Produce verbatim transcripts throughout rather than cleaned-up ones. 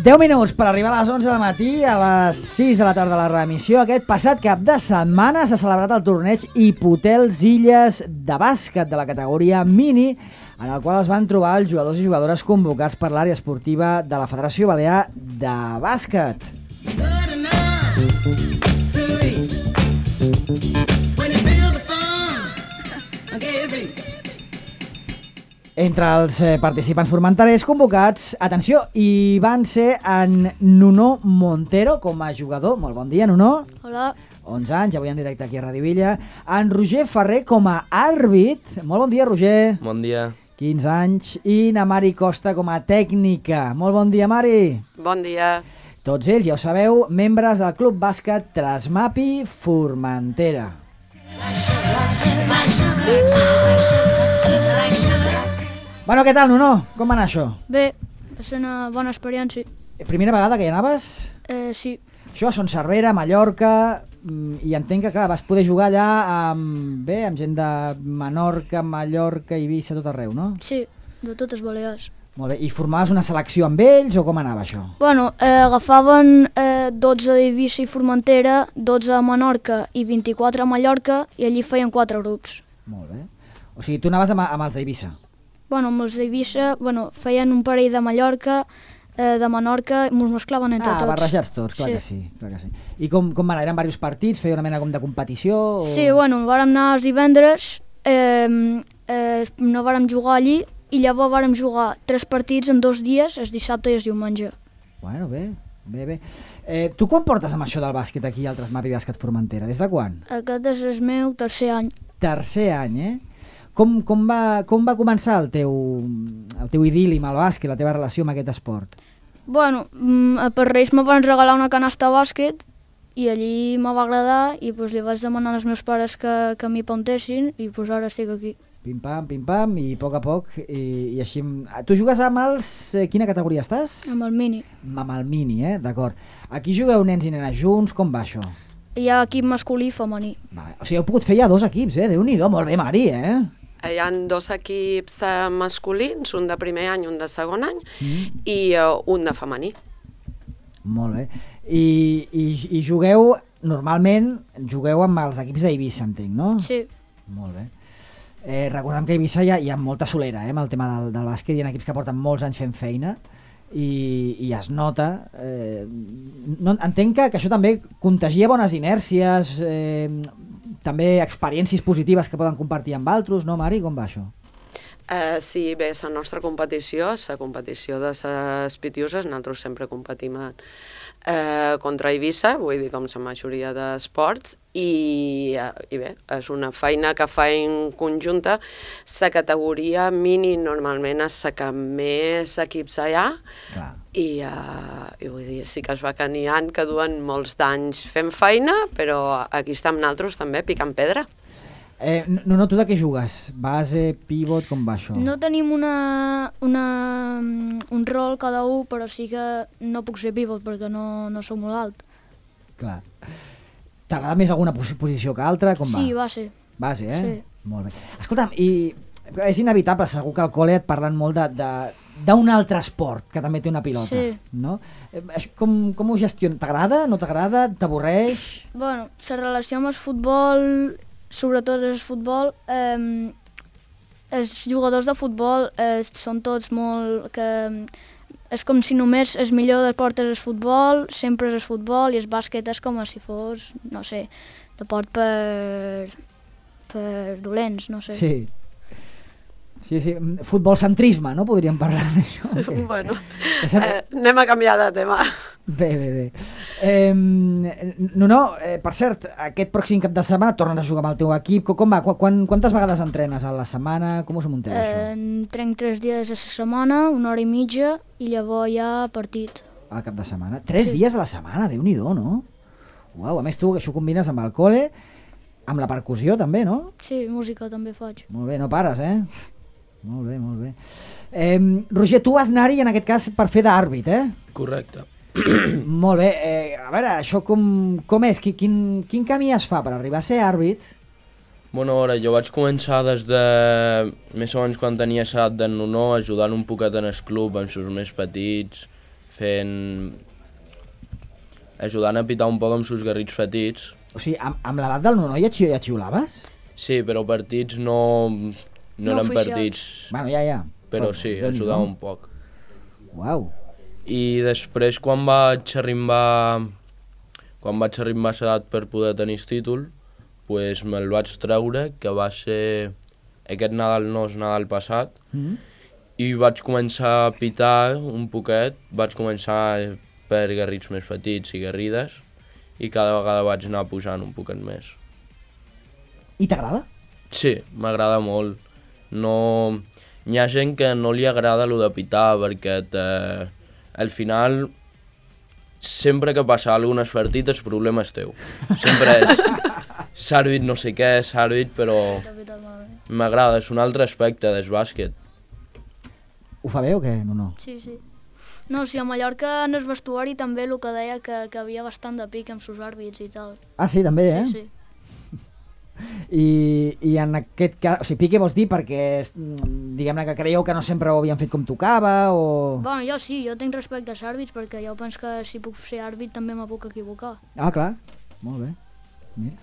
deu minuts per arribar a les onze del matí, a les sis de la tarda la reemissió. Aquest passat cap de setmana s'ha celebrat el torneig Hipotels Illes de bàsquet de la categoria mini, en el qual es van trobar els jugadors i jugadores convocats per l'àrea esportiva de la Federació Balear de Bàsquet. Entre els eh, participants formenterers convocats, atenció, hi van ser en Nuno Montero com a jugador. Molt bon dia, Nuno. Hola. onze anys, avui en directe aquí a Radio Villa. En Roger Ferrer com a àrbit. Molt bon dia, Roger. Bon dia. quinze anys. I na Mari Costa com a tècnica. Molt bon dia, Mari. Bon dia. Tots ells, ja ho sabeu, membres del Club Bàsquet Trasmapi Formentera. Bueno, què tal, Nuno? Com va anar això? Bé, va ser una bona experiència. Primera vegada que hi anaves? Eh, sí. Això a Son Cervera, Mallorca, i entenc que clar, vas poder jugar allà amb, bé, amb gent de Menorca, Mallorca, Eivissa, tot arreu, no? Sí, de totes Balears. Molt bé, i formaves una selecció amb ells o com anava això? Bueno, eh, agafaven eh, dotze d'Eivissa i Formentera, dotze a Menorca i vint-i-quatre a Mallorca, i allí feien quatre grups. Molt bé. O sigui, tu anaves amb, amb els d'Eivissa? Bueno, amb els d'Eivissa, bueno, feien un parell de Mallorca, eh, de Menorca, i ens mesclaven entre ah, tots. Ah, barrejats tots, clar, sí. Que sí, clar que sí. I com, com van anar? Eren diversos partits? Feia una mena com de competició? O... Sí, bueno, vàrem anar els divendres, eh, eh, no vàrem jugar allí, i llavors vàrem jugar tres partits en dos dies, el dissabte i el diumenge. Bueno, bé, bé, bé. Eh, tu quan portes amb això del bàsquet aquí al Trasmapi Bàsquet Formentera? Des de quan? Aquest és el meu tercer any. Tercer any, eh? Com, com, va, com va començar el teu, el teu idil·li amb el bàsquet, la teva relació amb aquest esport? Bueno, per Reis me van regalar una canasta de bàsquet i allí me va agradar i pues, li vaig demanar als meus pares que, que m'hi apuntessin i pues, ara estic aquí. Pim-pam, pim-pam, i a poc a poc, i, i així... Tu jugues amb els... Eh, quina categoria estàs? Amb el mini. Amb el mini, eh? D'acord. Aquí jugueu nens i nenes junts, com va això? Hi ha equip masculí i femení. Vale. O sigui, heu pogut fer ja dos equips, eh? Déu-n'hi-do, molt bé, Mari, eh? Hi ha dos equips uh, masculins, un de primer any, un de segon any, mm. i uh, un de femení. Molt bé. I, i, i jugueu, normalment, jugueu amb els equips d'Eivissa, entenc, no? Sí. Molt bé. Eh, recordem que a Eivissa hi ha, hi ha molta solera, eh, amb el tema del, del bàsquet. Hi ha equips que porten molts anys fent feina i, i es nota. Eh, no, entenc que, que això també contagia bones inèrcies, eh, també experiències positives que poden compartir amb altres, no, Mari? Com va això? Uh, sí, bé, la nostra competició, la competició de les pitiuses, nosaltres sempre competim uh, contra Eivissa, vull dir, com la majoria d'esports, i, uh, i bé, és una feina que fa en conjunta. La categoria mini normalment és la que més equips hi ha, Clar. I, uh, i vull dir, sí que es va que n'hi ha que duen molts d'anys fent feina, però aquí estem nosaltres també picant pedra. Eh, no, no, tu de què jugues? Base, pivot, com va això? No tenim una, una, un rol cada un, però sí que no puc ser pivot perquè no, no soc molt alt. Clar. T'agrada més alguna posició que altra? Com sí, va? base. Base, eh? Sí. Molt bé. Escolta'm, i és inevitable, segur que al col·le et parlen molt de, de, d'un altre esport que també té una pilota, sí. No? Com, com ho gestiones? T'agrada? No t'agrada? T'avorreix? Bueno, la relació amb el futbol, sobretot el futbol, eh, els jugadors de futbol eh, són tots molt... que és com si només el millor d'esport és el futbol, sempre és el futbol, i el bàsquet és com si fos, no sé, deport per, per dolents, no sé. Sí. Sí, sí, futbolcentrisme, no? Podríem parlar d'això. Okay. Bueno, eh, anem a canviar de tema. Bé, bé, bé. Eh, no, no, eh, per cert, aquest pròxim cap de setmana tornes a jugar amb el teu equip. Com va? Quan, quantes vegades entrenes a la setmana? Com us munteu, eh, això? Entrenc tres dies a la setmana, una hora i mitja, i llavors hi ha partit. Al cap de setmana? Tres sí. dies a la setmana, Déu-n'hi-do, no? Uau, a més tu això combines amb el col·le, amb la percussió també, no? Sí, música també faig. Molt bé, no pares, eh? Molt bé, molt bé. Eh, Roger, tu vas anar-hi en aquest cas per fer d'àrbit, eh? Correcte. Molt bé. Eh, a veure, això com, com és? Quin, quin camí es fa per arribar a ser àrbit? Bueno, ara, jo vaig començar des de més o menys quan tenia edat d'en Nuno, ajudant un poquet en el club, amb els més petits, fent... ajudant a pitar un poc amb els garrits petits. O sigui, amb, amb l'edat del Nuno ja, xi ja xiulaves? Sí, però partits no, no, No eren oficials. partits, Bueno, ja, ja. però sí, ajudava un poc. Uau. I després, quan vaig arribar, quan vaig arribar a l'edat per poder tenir el títol, pues me'l vaig treure, que va ser aquest Nadal, no és Nadal passat, Mm. i vaig començar a pitar un poquet, vaig començar per garrits més petits i garrides, i cada vegada vaig anar pujant un poquet més. I t'agrada? Sí, m'agrada molt. No... Hi ha gent que no li agrada allò de pitar, perquè te... al final, sempre que passa alguna cosa partit, el problema és teu. Sempre és s'àrbit no sé què, és àrbit, però m'agrada, és un altre aspecte del bàsquet. Ho fa bé o què? No, no. Sí, sí. No, sí, a Mallorca en el vestuari també el que deia que, que havia bastant de pic amb sus àrbits i tal. Ah, sí, també, eh? Sí, sí. I, i en aquest cas, o sigui, pique vols dir perquè mm, diguem-ne que creieu que no sempre ho havien fet com tocava o... Bueno, jo sí, jo tinc respecte als àrbits perquè jo penso que si puc ser àrbit també me puc equivocar. Ah, clar, molt bé. Mira.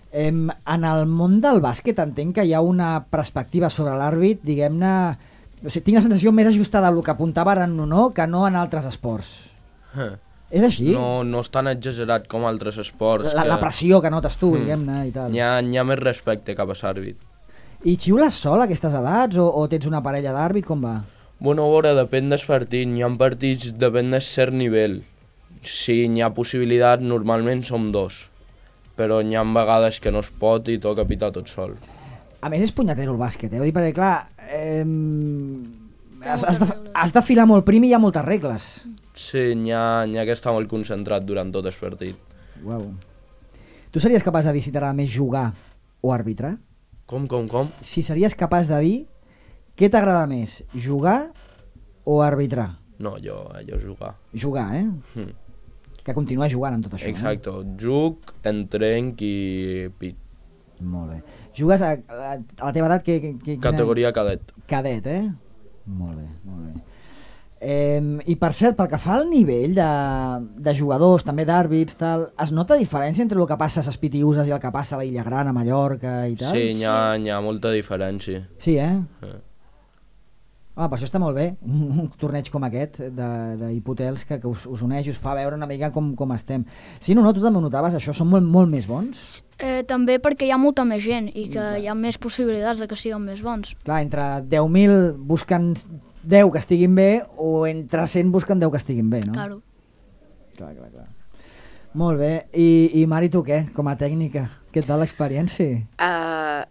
Em, en el món del bàsquet entenc que hi ha una perspectiva sobre l'àrbit, diguem-ne... O sigui, tinc la sensació més ajustada al que apuntava ara en Nuno que no en altres esports. Huh. És així? No, no és tan exagerat com altres esports. La, que... la pressió que notes tu, Mm. diguem-ne, i tal. Hi ha, hi ha més respecte cap a l'àrbit. I xiules sol a aquestes edats o, o tens una parella d'àrbit? Com va? Bueno, a veure, depèn del partit. Hi ha partits, depèn del cert nivell. Si hi ha possibilitat, normalment som dos. Però hi ha vegades que no es pot i toca pitar tot sol. A més és punyatero el bàsquet, eh? Vull dir, perquè clar... Eh, has, has, moltes de, regles. has de filar molt prim i hi ha moltes regles. Sí, n'hi ha, n'hi ha que estar molt concentrat durant tot el partit. Uau. Tu series capaç de dir si t'agrada més jugar o arbitrar? Com, com, com? Si series capaç de dir què t'agrada més, jugar o arbitrar? No, jo, jo jugar. Jugar, eh? Hm. Que continues jugant en tot això. Exacte, jug, entrenc i pit. Eh? Molt bé. Jugues a, a, a la teva edat? Que, que, que, Categoria cadet. Cadet, eh? Molt bé, molt bé. Eh, I per cert, pel que fa al nivell de, de jugadors, també d'àrbits, tal, es nota diferència entre el que passa a les Pitiuses i el que passa a l'Illa Gran, a Mallorca i tal? Sí, n'hi ha, n'hi ha molta diferència. Sí, eh? Eh. Home, per això està molt bé, un, un torneig com aquest d'hipotels que, que us, us uneix, us fa veure una mica com, com estem. Sí, no, no, tu també ho notaves, això, són molt, molt més bons? Eh, també perquè hi ha molta més gent i que hi ha més possibilitats de que siguin més bons. Clar, entre deu mil busquen deu que estiguin bé o entre cent busquen deu que estiguin bé, no? Claro. Clar, clar, clar. Molt bé. I, i Mari, tu què? Com a tècnica, què tal l'experiència? Uh,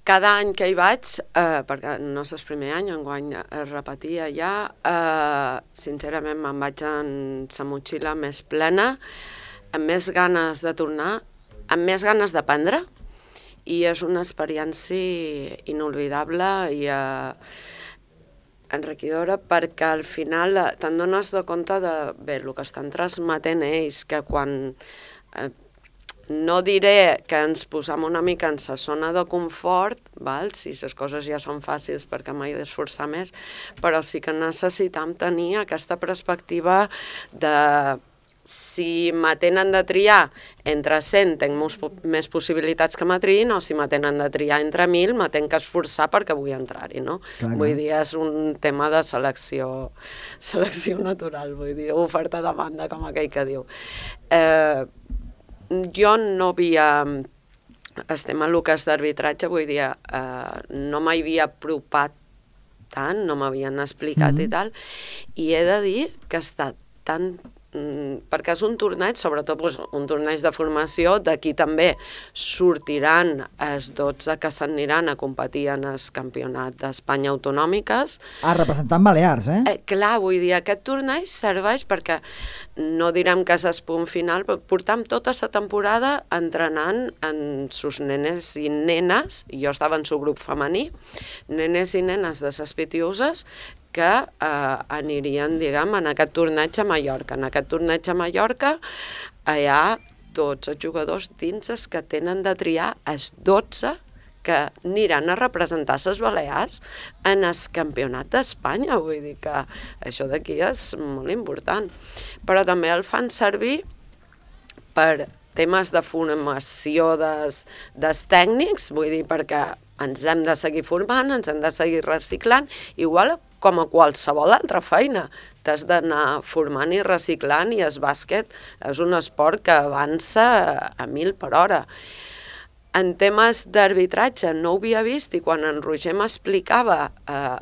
cada any que hi vaig, uh, perquè no és el primer any, enguany es repetia ja, uh, sincerament me'n vaig en la motxilla més plena, amb més ganes de tornar, amb més ganes d'aprendre, i és una experiència inolvidable i uh, enriquidora perquè al final te'n dones de compte de bé, el que estan transmetent ells, que quan eh, no diré que ens posam una mica en sa zona de confort, val? Si les coses ja són fàcils perquè m'he d'esforçar més, però sí que necessitam tenir aquesta perspectiva de si me tenen de triar entre cent tinc més possibilitats que me triïn, o si me tenen de triar entre mil me tenc que esforçar perquè vull entrar-hi, no? Clar, Vull clar. dir, és un tema de selecció, selecció natural, vull dir, oferta-demanda, com aquell que diu. Eh, jo no havia... Estem a el que és d'arbitratge, vull dir, eh, no m'havia apropat tant, no m'havien explicat Mhm. i tal, i he de dir que ha estat tan perquè és un torneig, sobretot doncs, un torneig de formació, d'aquí també sortiran els dotze que s'aniran a competir en el campionat d'Espanya autonòmiques. Ah, representant Balears, eh? Eh, clar, vull dir, aquest torneig serveix perquè, no direm que és el punt final, però portam tota la temporada entrenant en sus nenes i nenes, jo estava en su grup femení, nenes i nenes de les Pitiuses, que eh, anirien, diguem, en aquest torneig a Mallorca. En aquest torneig a Mallorca hi ha dotze jugadors dins els que tenen de triar els dotze que aniran a representar les Balears en el campionat d'Espanya. Vull dir que això d'aquí és molt important. Però també el fan servir per temes de formació des, dels tècnics, vull dir, perquè ens hem de seguir formant, ens hem de seguir reciclant, igual com a qualsevol altra feina. T'has d'anar formant i reciclant i el bàsquet és un esport que avança a mil per hora. En temes d'arbitratge no ho havia vist i quan en Roger m'explicava eh,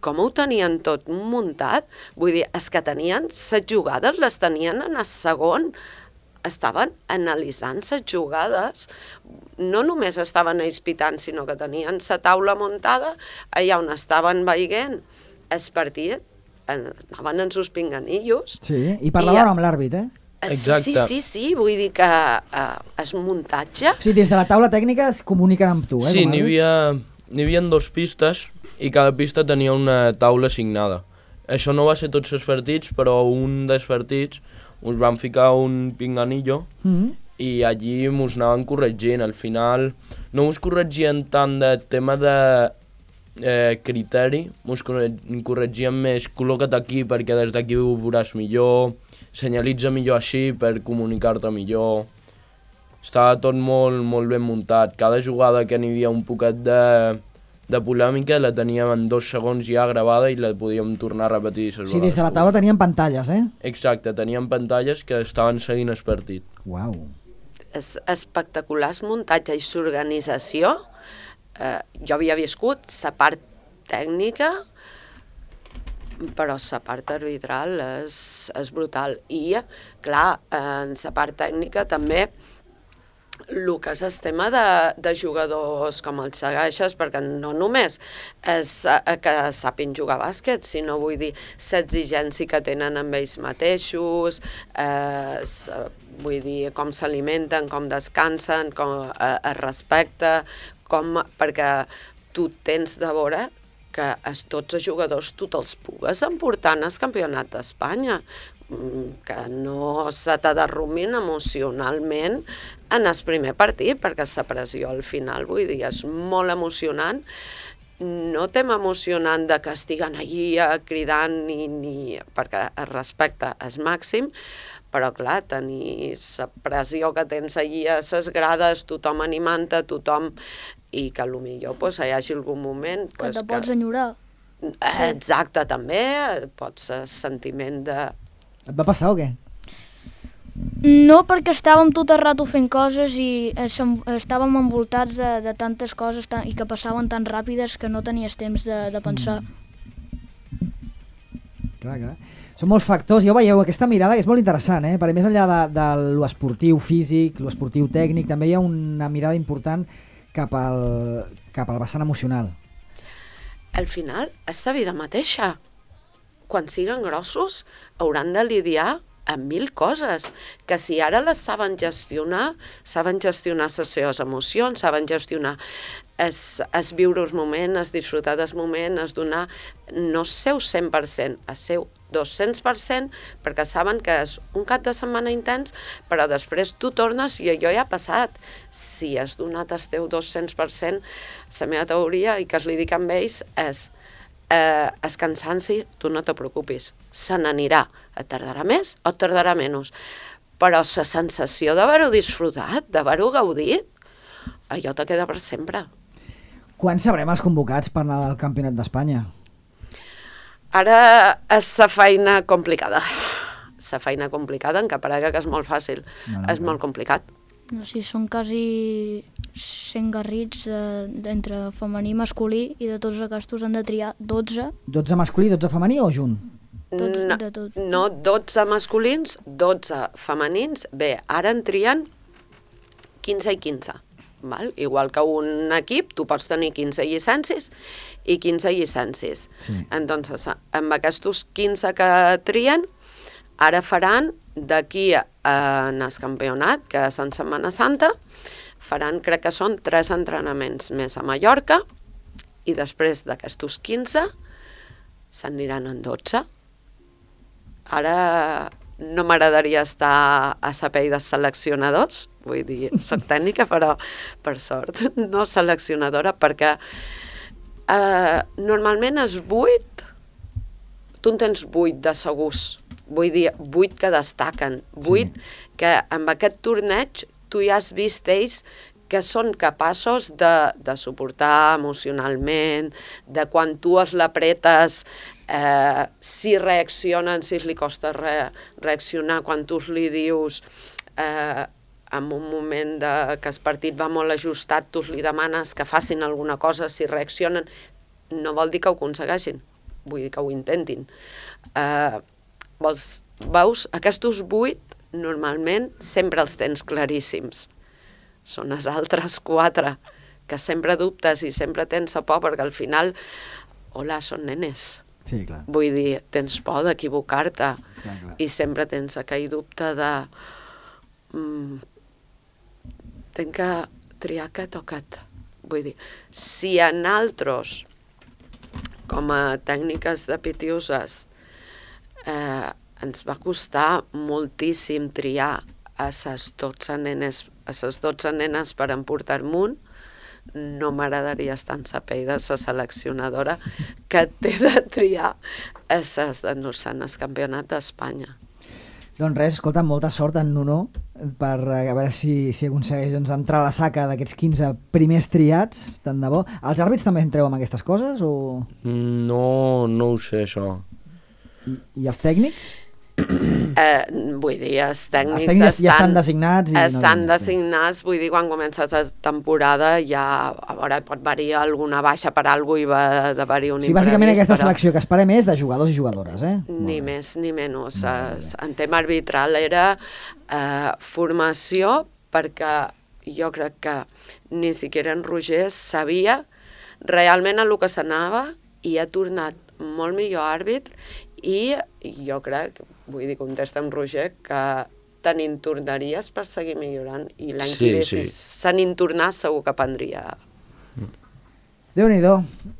com ho tenien tot muntat, vull dir, els que tenien les jugades les tenien en el segon, estaven analitzant les jugades, no només estaven ells pitant, sinó que tenien la taula muntada allà on estaven veient el partit, anaven en sus pinganillos. Sí, i parlaven I, amb l'àrbit, eh? Exacte. Sí, sí, sí, vull dir que eh, és muntatge. Sí, des de la taula tècnica es comuniquen amb tu, eh? Sí, n'hi havia, n'hi havia dos pistes i cada pista tenia una taula assignada. Això no va ser tots els partits, però un dels partits us van ficar un pinganillo mm-hmm. i allí mos anaven corregint. Al final no us corregien tant de tema de eh, criteri, mos corregien més col·loca't aquí perquè des d'aquí ho veuràs millor, senyalitza millor així per comunicar-te millor. Estava tot molt, molt ben muntat. Cada jugada que n'hi havia un poquet de, de polèmica la teníem en dos segons ja gravada i la podíem tornar a repetir. Sí, des de la taula teníem pantalles, eh? Exacte, teníem pantalles que estaven seguint el partit. Uau. És espectacular el muntatge i l'organització. Eh, jo havia viscut la part tècnica, però la part arbitral és, és brutal. I, clar, en la part tècnica també el que és el tema de, de jugadors com els segueixes, perquè no només és que sàpin jugar a bàsquet, sinó vull dir l'exigència que tenen amb ells mateixos, eh, vull dir com s'alimenten, com descansen, com eh, es respecta, com, perquè tu tens de veure que els dotze jugadors tu te'ls pugues emportar en el campionat d'Espanya, que no se t'aderrumin emocionalment en el primer partit, perquè la pressió al final, vull dir, és molt emocionant. No tema emocionant de que estiguen allí cridant, ni, ni, perquè el respecte és màxim, però clar, tenir la pressió que tens allí a les grades, tothom animant-te, tothom, i que potser pues, hi hagi algun moment... Que pues, te pots enyorar. Exacte, també, pot ser sentiment de... Et va passar o què? No, perquè estàvem tot el rato fent coses i estàvem envoltats de, de tantes coses tan, i que passaven tan ràpides que no tenies temps de, de pensar. Mm. Clar, clar. Són molts factors, ja ho veieu, aquesta mirada que és molt interessant, eh? Perquè més enllà de, de l'esportiu físic, l'esportiu tècnic, també hi ha una mirada important cap al, cap al vessant emocional. Al final, és la vida mateixa. Quan siguen grossos, hauran de lidiar amb mil coses, que si ara les saben gestionar, saben gestionar les seves emocions, saben gestionar es, es viure el moment, es disfrutar del moment, es donar no el seu cent per cent, el seu dos-cents per cent, perquè saben que és un cap de setmana intens, però després tu tornes i allò ja ha passat. Si has donat el teu dos-cents per cent, la meva teoria, i que es li dic amb ells, és eh, el cansanci, tu no te preocupis, se n'anirà. Et tardarà més o et tardarà menys. Però la sensació d'haver-ho disfrutat, d'haver-ho gaudit, allò te queda per sempre. Quan sabrem els convocats per anar al Campionat d'Espanya? Ara és la feina complicada. La feina complicada, en què parega que és molt fàcil. No, no, és no. molt complicat. No, sí, són quasi cent garrits eh, entre femení i masculí i de tots aquests han de triar dotze. dotze masculí, dotze femení o junt? Tots, no, de tot. no, dotze masculins, dotze femenins. Bé, ara en trien quinze i quinze. Val? Igual que un equip, tu pots tenir quinze llicències i quinze llicències. Sí. Entonces, amb aquests quinze que trien, ara faran d'aquí en el campionat, que és en Setmana Santa, faran, crec que són tres entrenaments més a Mallorca, i després d'aquestos quinze s'aniran en dotze. Ara no m'agradaria estar a servei de seleccionadors, vull dir, soc tècnica, però per sort no seleccionadora, perquè eh, normalment és vuit, tu en tens vuit de segurs, vull dir, vuit que destaquen, vuit sí. que amb aquest torneig tu ja has vist ells que són capaços de, de suportar emocionalment, de quan tu es l'apretes, eh, si reaccionen, si li costa re, reaccionar, quan tu li dius eh, en un moment de, que el partit va molt ajustat, tu li demanes que facin alguna cosa, si reaccionen, no vol dir que ho aconsegueixin, vull dir que ho intentin. Eh, vols, veus, aquests vuit normalment sempre els tens claríssims. Són els altres quatre, que sempre dubtes i sempre tens por, perquè al final, hola, són nenes. Sí, clar. Vull dir, tens por d'equivocar-te i sempre tens aquell dubte de mm, tenc que triar aquest o aquest. Vull dir, si en altres, com a tècniques de pitiuses, eh, ens va costar moltíssim triar a les dotze nenes, a les dotze nenes per emportar amunt, no m'agradaria estar en la pell de la seleccionadora que té de triar a les d'endur-se'n al campionat d'Espanya. Doncs res, escolta, molta sort en Nuno per a veure si, si aconsegueix doncs, entrar a la saca d'aquests quinze primers triats, tant de bo. Els àrbits també entreu amb aquestes coses? O... No, no ho sé, això. I, i els tècnics? Eh, vull dir, els tècnics, els tècnics estan, ja estan designats. I estan no... designats, vull dir, quan comença la temporada ja, a veure, pot haver alguna baixa per alguna cosa i va d'haver-hi un sí, imprevist. Bàsicament aquesta però... selecció que esperem és de jugadors i jugadores, eh? Ni més ni menys. En tema arbitral era eh, formació, perquè jo crec que ni siquiera en Roger sabia realment el que s'anava i ha tornat molt millor àrbitre i jo crec, vull dir, contesta amb Roger, que te n'hi tornaries per seguir millorant i l'any sí, que ve, sí. si se n'hi tornàs, segur que prendria. Déu-n'hi-do.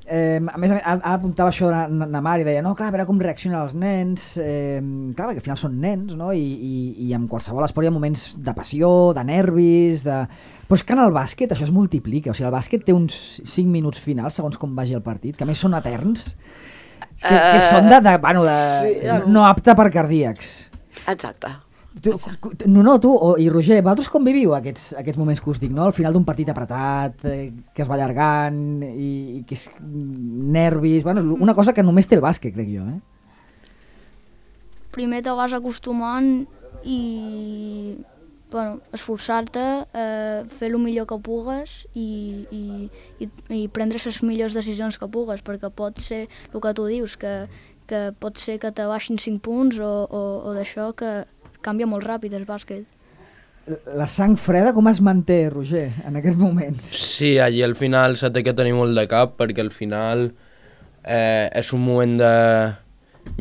Eh, a més, ara apuntava això de Namar i deia, no, clar, a veure com reaccionen els nens. Eh, clar, perquè al final són nens, no? I, i, i en qualsevol esport hi ha moments de passió, de nervis, de... Però és que en el bàsquet això es multiplica. O sigui, el bàsquet té uns cinc minuts finals, segons com vagi el partit, que a més són eterns, que, uh, que són de, de, bueno, de, sí, no apte per cardíacs. Exacte. Tu, no, no, tu o, i Roger, vosaltres com viviu aquests, aquests moments que us dic, no? Al final d'un partit apretat, eh, que es va allargant i, i que és nervis, bueno, una cosa que només té el bàsquet, crec jo, eh? Primer te vas acostumant i, bueno, esforçar-te, eh, fer el millor que pugues i, i, i, i prendre les millors decisions que pugues, perquè pot ser el que tu dius, que, que pot ser que te baixin cinc punts o, o, o d'això que canvia molt ràpid el bàsquet. La sang freda com es manté, Roger, en aquests moments? Sí, allí al final se té que tenir molt de cap perquè al final eh, és un moment de...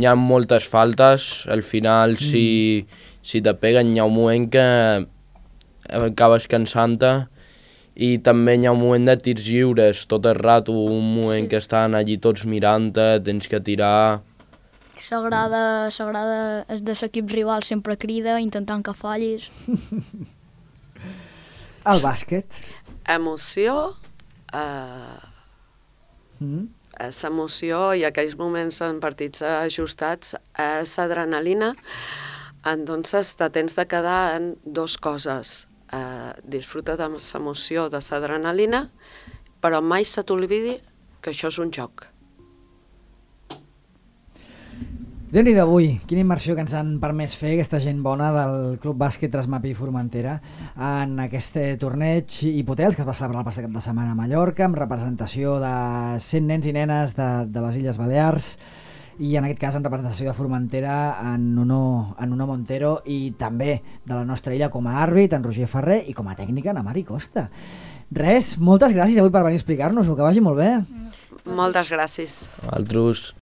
Hi ha moltes faltes, al final mm. si, si te peguen hi ha un moment que acabes cansant-te i també hi ha un moment de tirs lliures tot el rato, un moment sí. que estan allí tots mirant-te, tens que tirar... S'agrada, s'agrada el de l'equip rival, sempre crida, intentant que fallis. El bàsquet? Emoció, eh, mm. és emoció i aquells moments en partits ajustats és adrenalina, entonces te tens de quedar en dos coses. Eh, disfruta de l'emoció de l'adrenalina, però mai se t'olvidi que això és un joc. Déu-n'hi-do avui, quina immersió que ens han permès fer aquesta gent bona del Club Bàsquet Trasmapi i Formentera en aquest torneig Hipotels que es va celebrar el passat cap de setmana a Mallorca amb representació de cent nens i nenes de, de les Illes Balears i en aquest cas en representació de Formentera en Nuno, en Nuno Montero i també de la nostra illa com a àrbit, en Roger Ferrer i com a tècnica en Mari Costa. Res, moltes gràcies avui per venir a explicar-nos, que vagi molt bé. Moltes gràcies. Altres.